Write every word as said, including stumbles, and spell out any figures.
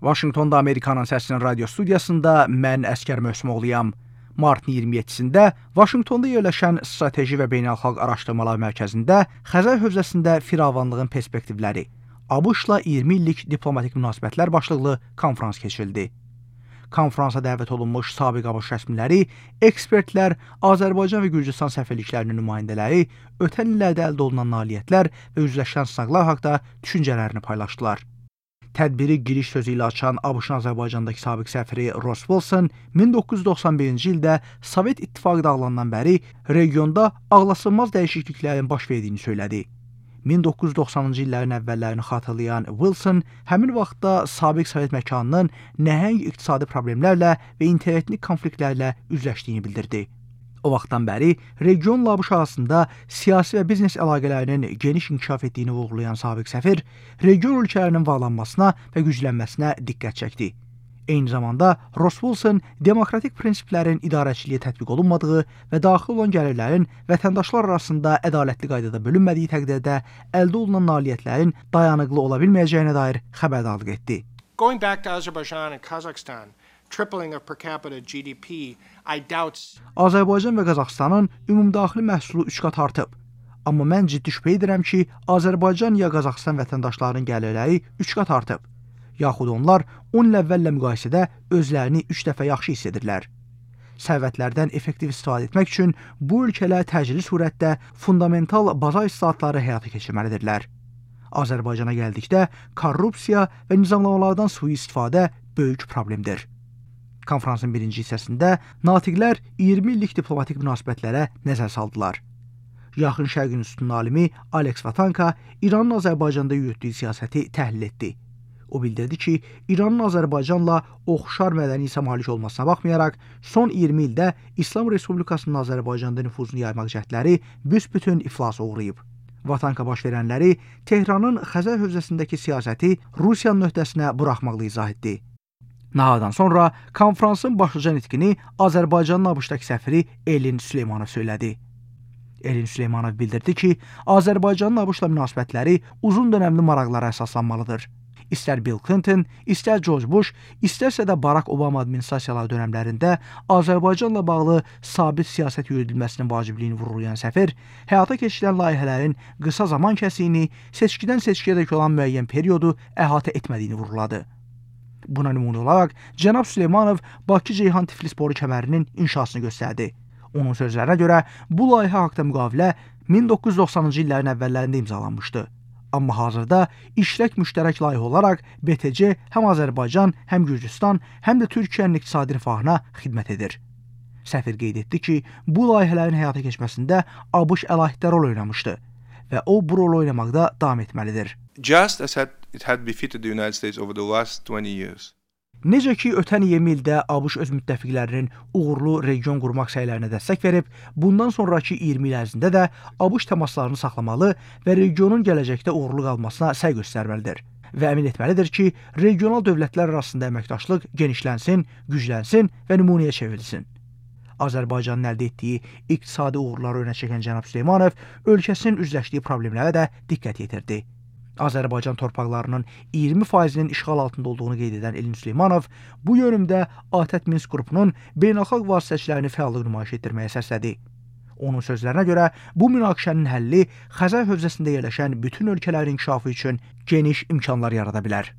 Vaşinqtonda Amerikanın Səsinin radio studiyasında mən Əskər Möhsümoğluyam. Martın iyirmi yeddisində Vaşinqtonda yerləşən Strateji və Beynəlxalq Araşdırmalar Mərkəzində Xəzər hövzəsində firavanlığın perspektivləri, ABŞ-la iyirmi illik diplomatik münasibətlər başlıqlı konfrans keçirildi. Konfransa dəvət olunmuş sabiq ABŞ rəsmiləri, ekspertlər, Azərbaycan və Gürcüstan səfirliklərinin nümayəndələri ötən illərdə əldə olunan nailiyyətlər və üzləşən sınaqlar haqqında düşüncələrini paylaşdılar. Tədbiri giriş sözü ilə açan ABŞ-ın Azərbaycandakı sabiq səfiri Ross Wilson min doqquz yüz doxsan birinci ildə Sovet İttifaqı dağılandan bəri regionda ağlasılmaz dəyişikliklərin baş verdiyini söylədi. min doqquz yüz doxsanıncı illərin əvvəllərini xatırlayan Wilson həmin vaxtda sabiq Sovet məkanının nəhəng iqtisadi problemlərlə və interetnik konfliktlərlə üzləşdiyini bildirdi. O vaxtdan bəri regionla ABŞ arasında siyasi və biznes əlaqələrinin geniş inkişaf etdiyini vurğulayan sabiq səfir, region ölkələrinin varlanmasına və güclənməsinə diqqət çəkdi. Eyni zamanda Ross Wilson demokratik prinsiplərin idarəçiliyə tətbiq olunmadığı və daxil olan gəlirlərin vətəndaşlar arasında ədalətli qaydada bölünmədiyi təqdirdə əldə olunan nailiyyətlərin dayanıqlı ola bilməyəcəyinə dair xəbərdarlıq etdi. Going back to Azerbaijan and Kazakhstan, tripling of per capita G D P, I doubt. Azərbaycan və Qazaxıstanın ümumdaxili məhsulu üç qat artıb. Amma mən ciddi şübhə edirəm ki, Azərbaycan ya Qazaxıstan vətəndaşlarının gəlirləri üç qat artıb. Yaxud onlar on il əvvəllə müqayisədə özlərini üç dəfə yaxşı hiss edirlər. Sərvətlərdən effektiv istifadə etmək üçün bu ölkələr təcili surətdə fundamental baza islahatları həyata keçirməlidirlər. Azərbaycana gəldikdə korrupsiya və nizamlamalardan sui-istifadə böyük problemdir. Konfransın birinci hissəsində natiqlər iyirmi illik diplomatik münasibətlərə nəzər saldılar. Yaxın Şərqin üstün alimi Alex Vatanka İranın Azərbaycanda yürütdüyü siyasəti təhlil etdi. O bildirdi ki, İranın Azərbaycanla oxşar mədəni isə malik olmasına baxmayaraq, son iyirmi ildə İslam Respublikasının Azərbaycanda nüfuzunu yaymaq cəhdləri büsbütün iflasa uğrayıb. Vatanka baş verənləri Tehranın Xəzər hövzəsindəki siyasəti Rusiyanın öhdəsinə buraxmaqla izah etdi. Nahardan sonra konfransın başlıca nitqini Azərbaycanın ABŞ-dakı səfiri Elin Süleymanov söylədi. Elin Süleymanov bildirdi ki, Azərbaycanın ABŞ-la münasibətləri uzun dönəmli maraqlara əsaslanmalıdır. İstər Bill Clinton, istər George Bush, istərsə də Barack Obama administrasiyaları dönəmlərində Azərbaycanla bağlı sabit siyasət yürüdülməsinin vacibliyini vurğulayan səfir, həyata keçirilən layihələrin qısa zaman kəsiyini, seçkidən seçkiyədək olan müəyyən periodu əhatə etmədiyini vurğuladı. Buna nümunə olaraq cənab Süleymanov Bakı-Ceyhan-Tiflis boru kəmərinin inşasını göstərdi. Onun sözlərinə görə bu layihə haqda müqavilə min doqquz yüz doxsanıncı illərin əvvəllərində imzalanmışdı. Amma hazırda işlək müştərək layihə olaraq B T C həm Azərbaycan, həm Gürcüstan, həm də Türkiyənin iqtisadi rifahına xidmət edir. Səfir qeyd etdi ki, bu layihələrin həyata keçməsində ABŞ əlahiddə rol oynamışdı və o bu rolu oynamaqda davam etməlidir. Just as it had befitted the United States over the last twenty years. Necə ki, ötən iyirmi ildə ABŞ öz müttəfiqlərinin uğurlu region qurmaq səylərinə dəstək verib, bundan sonraki iyirmi il ərzində də ABŞ təmaslarını saxlamalı və regionun gələcəkdə uğurlu qalmasına səy göstərməlidir və əmin etməlidir ki, regional dövlətlər arasında əməkdaşlıq genişlənsin, güclənsin və nümunəyə çevrilsin. Azərbaycanın əldə etdiyi iqtisadi uğurları önə çəkən cənab Süleymanov ölkəsinin üzləşdiyi problemlərə də diqqət yetirdi. Azərbaycan torpaqlarının iyirmi faizinin işğal altında olduğunu qeyd edən Elin Süleymanov bu yönümdə ATƏT Minsk qrupunun beynəlxalq vasitəçilərini fəallıq nümayiş etdirməyə səslədi. Onun sözlərinə görə bu münaqişənin həlli Xəzər hövzəsində yerləşən bütün ölkələrin inkişafı üçün geniş imkanlar yarada bilər.